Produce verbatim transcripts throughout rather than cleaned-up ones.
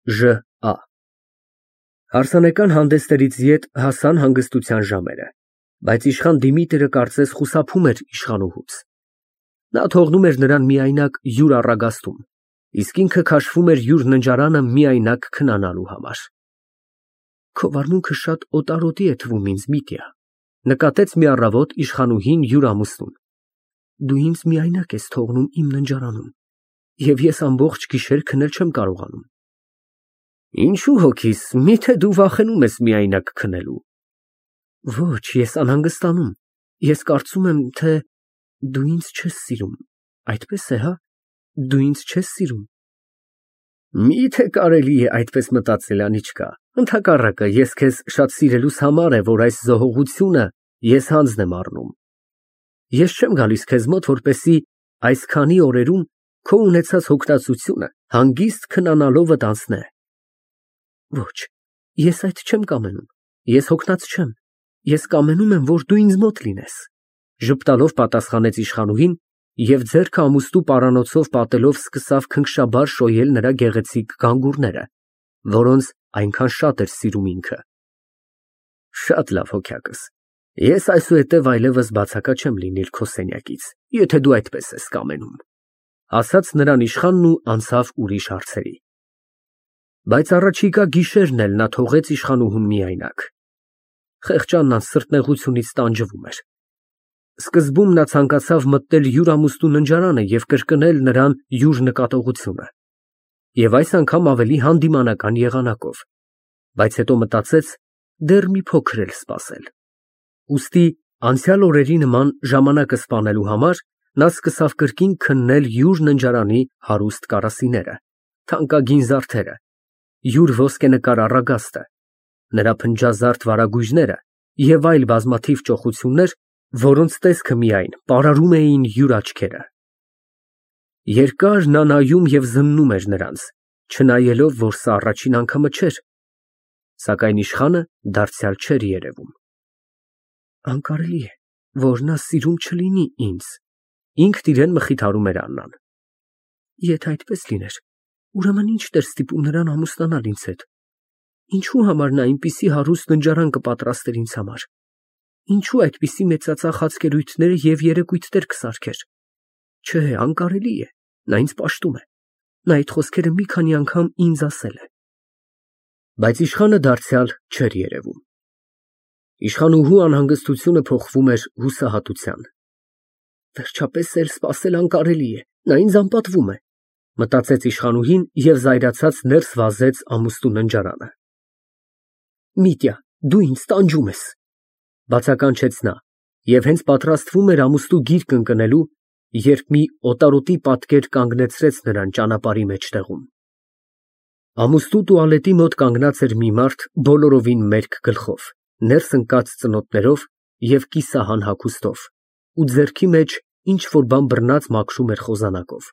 Ժ Ա Հարսանեկան հանդեսներից ետ հասան հանգստության ժամերը, բայց իշխան Դիմիտրը կարծես խուսափում էր իշխանուհուց. նա թողնում էր նրան միայնակ յուր առագաստում, իսկ ինքը քաշվում էր յուր ննջարանը միայնակ քնանալու համար։ Քո վարմունքը շատ օտարոտի է թվում ինձ, Միտյա, նկատեց մի առավոտ իշխանուհին յուր ամուսնուն, դու ինձ միայնակ ես թողնում իմ ննջարանում, և ես ամբողջ գիշեր քնել չեմ կարողանում։ Ինչու հոգիս, միթե դու վախենում ես միայնակ քնելու։ Ոչ, ես անհանգստանում, ես կարծում եմ, թե դու ինձ չես սիրում, այդպես է, հա, դու ինձ չես սիրում։ Միթե կարելի է այդպես մտածել, Անիչկա, ընդհակառակը, ես քեզ շատ սիրելուս համար է, որ այս զոհողությունը ես հանձն եմ առնում։ Ես չեմ գալիս քեզ մոտ, որպեսզի այսքանի օրերում քո ունեցած հոգնածությունը հանգիստ քնանալովդ անցնե։ Ոչ, ես այդ չեմ կամենում, ես հոգնած չեմ, ես կամենում եմ, որ դու ինձ մոտ լինես, ժպտալով պատասխանեց իշխանուհին և ձեռքը ամուստու պարանոցով պատելով սկսավ քնքշաբար շոյել նրա գեղեցիկ գանգուրները, որոնց այնքան շատ էր սիրում ինքը։ Շատ լավ, հոգյակս, ես այսուհետև այլևս բացակա չեմ լինել քո սենյակից, եթե դու այդպես ես կամենում, ասաց նրան իշխանն ու անցավ ուրիշ հարցերի։ Բայց առաջիկա գիշերն էլ նա թողեց իշխանուհուն միայնակ։ Խեղճ Աննան սրտնեղությունից տանջվում էր։ Սկզբում նա ցանկացավ մտնել յուր ամուսնու ննջարանը և կրկնել նրան յուր նկատողությունը, և այս անգամ ավելի հանդիմանական եղանակով, բայց հետո մտածեց դեռ մի փոքր էլ սպասել։ Ուստի անցյալ օրերի նման ժամանակը սպանելու համար նա սկսավ կրկին քննել յուր ննջարանի հարուստ կարասիները, թանկագին զարդերը, յուր ոսկենկար առագաստը, նրա փնջազարդ վարագույրները և այլ բազմաթիվ ճոխություններ, որոնց տեսքը միայն պարարում էին յուր աչքերը։ Երկար նա նայում և զննում էր նրանց, չնայելով, որ սա առաջին անգամը չէր, սակայն իշխանը դարձյալ չէր երևում։ Անկարելի է, որ նա սիրում չլինի ինձ, ինքն իրան մխիթարում էր Աննան։ Եթե այդպես լիներ, ուրեմն ի՞նչն էր ստիպում նրան ամուսնանալ ինձ հետ։ Ինչու համար նա այնպիսի հարուստ ննջարան կպատրաստեր ինձ համար։ Ինչու այդպիսի մեծածախ խացկերույթներ և երեկույթներ կսարքեր։ Չէ, անկարելի է, նա ինձ պաշտում է, նա այդ խոսքերը մի քանի անգամ ինձ ասել է։ Բայց իշխանը դարձյալ չէր երևում։ Իշխանուհու անհանգստությունը փոխվում էր հուսահատության։ Վերջապես էլ սպասել անկարելի է, նա ինձ անպատվում է, մտածեց իշխանուհին և զայրացած ներս վազեց ամուստու ննջարանը։ Միտյա, դու ինձ տանջում ես, բացականչեց նա և հենց պատրաստվում էր ամուստու գիրկն ընկնելու, երբ մի օտարոտի պատկեր կանգնեցրեց նրան ճանապարհի մեջտեղում։ Ամուստու տուալետի մոտ կանգնած էր մի մարդ բոլորովին մերկ գլխով, ներս ընկած ծնոտներով և կիսահան հագուստով, ու ձեռքի մեջ ինչ֊որ բան բռնած մաքրում էր խոզանակով։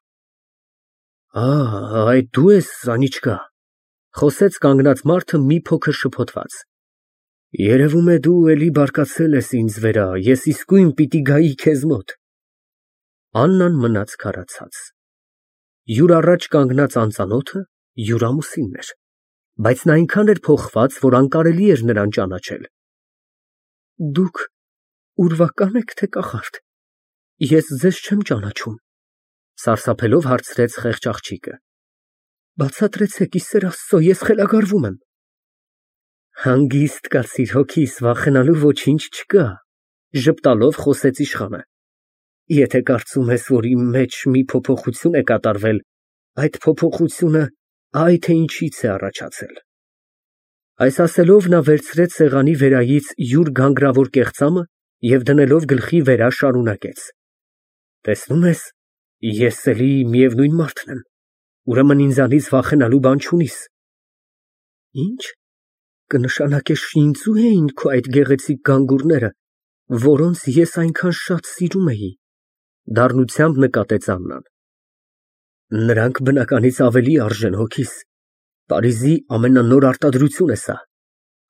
Ա, այդ դու ես, Անիչկա, խոսեց կանգնած մարդը մի փոքր շփոթված։ Երևում է դու էլի բարկացել ես ինձ վրա, ես իսկույն պիտի գայի քեզ մոտ։ Աննան մնաց քարացած։ Յուր առաջ կանգնած անծանոթը յուր ամուսինն էր, բայց նա այնքան էր փոխված, որ անկարելի էր նրան ճանաչել։ Դուք ուրվակա՞ն եք, թե կախարդ։ Ես ձեզ չեմ ճանաչում, սարսափելով հարցրեց խեղճ աղջիկը։ Բացատրեցեք, ի սեր Աստծո, ես խելագարվում եմ։ Հանգիստ կացիր, հոգիս, վախենալու ոչինչ չկա, ժպտալով խոսեց իշխանը։ Եթե կարծում ես, որ իմ մեջ մի փոփոխություն է կատարվել, այդ փոփոխությունը այ թե ինչից է առաջացել։ Այս ասելով նա վերցրեց սեղանի վերայից յուր գանգրավոր կեղծամը և դնելով գլխի վրա շարունակեց. Տեսնում ես, ես էլի միևնույն մարդն եմ, ուրեմն ինձանից վախենալու բան չունիս։ Ինչ, կնշանակե շինծո՞ւ էին քո այդ գեղեցիկ գանգուրները, որոնց ես այնքան շատ սիրում էի, դառնությամբ նկատեց Աննան։ Նրանք բնականից ավելի արժեն, հոգիս, Փարիզի ամենանոր արտադրություն է սա,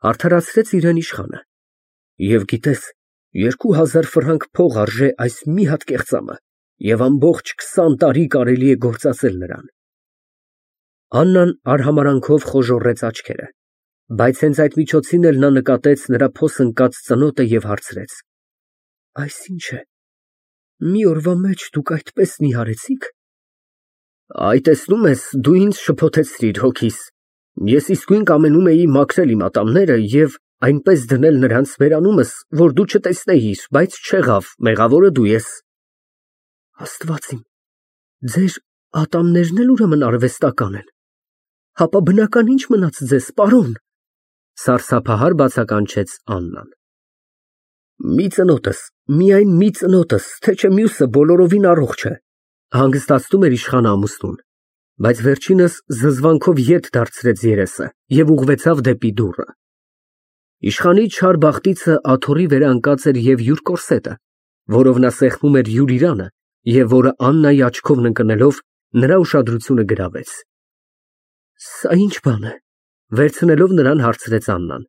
արդարացրեց իրան իշխանը։ Եվ գիտես, երկու հազար ֆրանկ փող արժե այս մի հատ կեղծամը, և ամբողջ քսան տարի կարելի է գործածել նրան։ Աննան արհամարանքով խոժոռեց աչքերը, բայց հենց այդ միջոցին էլ նա նկատեց նրա փոս ընկած ծնոտը և հարցրեց. Այս ի՞նչ է, մի օրվա մեջ դուք այդպես նիհարեցիք։ Այ տեսնում ես, դու ինձ շփոթեցրիր հոգիս, ես իսկույն կամենում էի մաքրել իմ ատամները և այնպես դնել նրանց բերանումս, որ դու չտեսնեիր, բայց չեղավ, մեղավորը դու ես։ Աստված իմ, ձեր ատամներն էլ ուրեմն արհեստական են, հապա բնական ի՞նչ մնաց ձեզ, պարոն, սարսափահար բացականչեց Աննան։ Մի ծնոտս, միայն մի ծնոտս, թե չէ մյուսը բոլորովին առողջ է, հանգստացնում էր իշխանը ամուսնուն, բայց վերջինս զզվանքով ետ դարձրեց երեսը և ուղղվեցավ դեպի դուռը։ Իշխանի չար բախտիցը աթոռի վրա ընկած էր և յուր կորսետը, որով նա սեղմում էր յուր իրանը և որը Աննայի աչքովն ընկնելով նրա ուշադրությունը գրավեց։ Սա ի՞նչ բան է, վերցնելով նրան հարցրեց Աննան։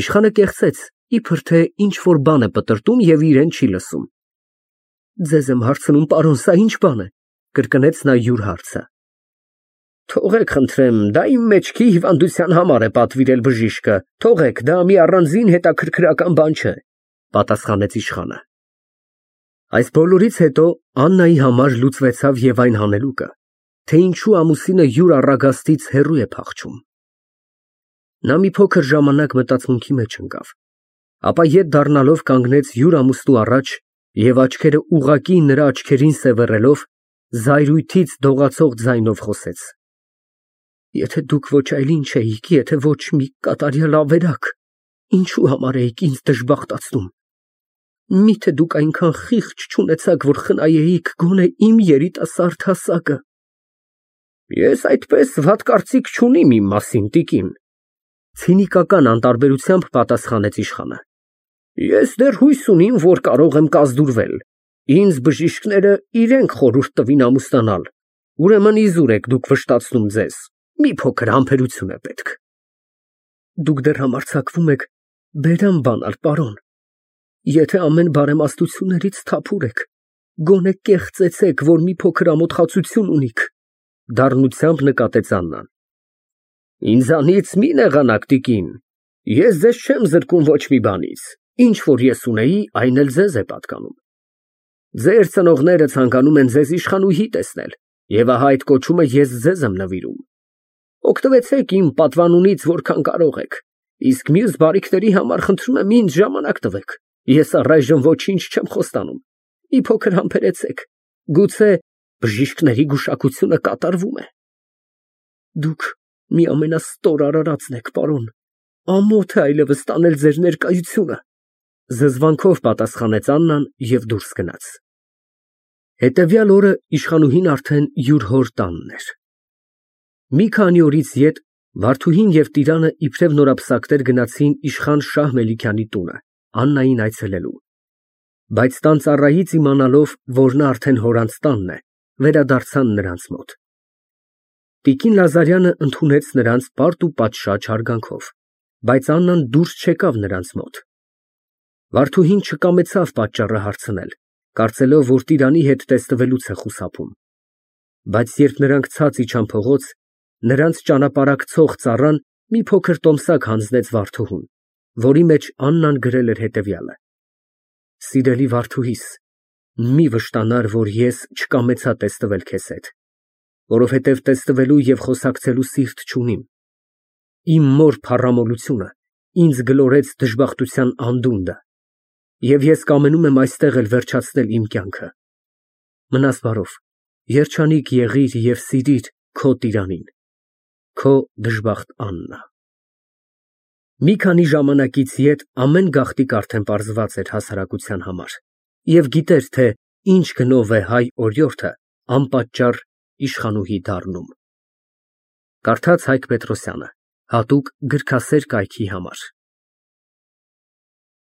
Իշխանը կեղծեց, իբր թե ինչ֊որ բան է պտրտում և իրեն չի լսում։ Ձեզ եմ հարցնում, պարոն, սա ի՞նչ բան է, կրկնեց նա յուր հարցը։ Թողեք, խնդրեմ, դա իմ մեջքի հիվանդության համար է պատվիրել բժիշկը, թողեք, դա մի առանձին հետաքրքրական բան չէ, պատասխանեց իշխանը։ Այս բոլորից հետո Աննայի համար լուծվեցավ և այն հանելուկը, թե ինչու ամուսինը յուր առագաստից հեռու է փախչում։ Նա մի փոքր ժամանակ մտածմունքի մեջ ընկավ, ապա ետ դառնալով կանգնեց յուր ամուսնու առաջ և աչքերը ուղղակի նրա աչքերին սևեռելով, զայրույթից դողացող ձայնով խոսեց. Եթե դուք ոչ այլ ինչ էիք, եթե ոչ մի կատարյալ ավերակ, ինչու համար էիք ինձ դժբախտացնում։ Միթե դուք այնքան խիղճ չունեցաք, որ խնայեիք գոնե իմ երիտասարդ հասակը։ Ես այդպես վատ կարծիք չունիմ իմ մասին, տիկին, ցինիկական անտարբերությամբ պատասխանեց իշխանը։ Ես դեռ հույս ունիմ, որ կարող եմ կազդուրվել։ Ինձ բժիշկները իրենք խորհուրդ տվին ամուսնանալ, ուրեմն իզուր եք դուք վշտացնում ձեզ, մի փոքր համբերություն է պետք։ Դուք դեռ համարձակվում եք բերան բանալ, պարոն։ Եթե ամեն բարեմաստություններից թափուր եք, գոնե կեղծեցեք, որ մի փոքր ամոթխացություն ունիք, դառնությամբ նկատեց Աննան։ Ինձանից մի նեղանաք, տիկին, ես ձեզ չեմ զրկում ոչ մի բանից, ինչ որ ես ունեի, այն էլ ձեզ է պատկանում։ Ձեր ծնողները ցանկանում են ձեզ իշխանուհի տեսնել, և ահա այդ կոչումը ես ձեզ եմ նվիրում։ Օգտվեցեք իմ պատվանունից որքան կարող եք, իսկ մյուս բարիքների համար խնդրում եմ ինձ ժամանակ տվեք, ես առայժմ ոչինչ չեմ խոստանում, մի փոքր համբերեցեք, գուցե բժիշկների գուշակությունը կատարվում է։ Դուք մի ամենաստոր արարածն եք, պարոն, ամոթ է այլևս տանել ձեր ներկայությունը, զզվանքով պատասխանեց Աննան և դուրս գնաց։ Հետևյալ օրը իշխանուհին արդեն յուր հոր տանն էր։ Մի քանի օրից ետ Վարդուհին և Տիրանը իբրև նորապսակներ գնացին իշխան Շահ Մելիքյանի տունը, Աննային այցելելու։ Բայց տան ծառայից իմանալով, որ նա արդեն հորանց տանն է, վերադարձան նրանց մոտ։ Տիկին Լազարյանը ընդունեց նրանց պարտ ու պատշաճ հարգանքով, բայց Աննան դուրս չեկավ նրանց մոտ։ Վարդուհին չկամեցավ պատճառը հարցնել, կարծելով, որ Տիրանի հետ տեսնվելուց է խուսափում։ Բայց երբ նրանք ցած իջան փողոց, նրանց ճանապարհակցող ծառան մի փոքր տոմսակ հանձնեց Վարդուհուն, որի մեջ Աննան գրել էր հետևյալը. Սիրելի Վարդուհիս, մի վշտանար, որ ես չկամեցա տեսնվել քեզ հետ, որովհետև տեսնվելու և խոսակցելու սիրտ չունիմ։ Իմ մոր փառամոլությունը ինձ գլորեց դժբախտության անդունդը, և ես կամենում եմ այստեղ էլ վերջացնել իմ կյանքը։ Մնաս բարով, երջանիկ եղիր և սիրիր քո Տիրանին, քո դժբախտ Աննա։ Մի քանի ժամանակից ետ ամեն գաղտնիք արդեն պարզված էր հասարակության համար, և գիտեր, թե ինչ գնով է հայ օրիորդը անպատճառ իշխանուհի դառնում։ Կարդաց Հայկ Պետրոսյանը, հատուկ գրքասեր կայքի համար։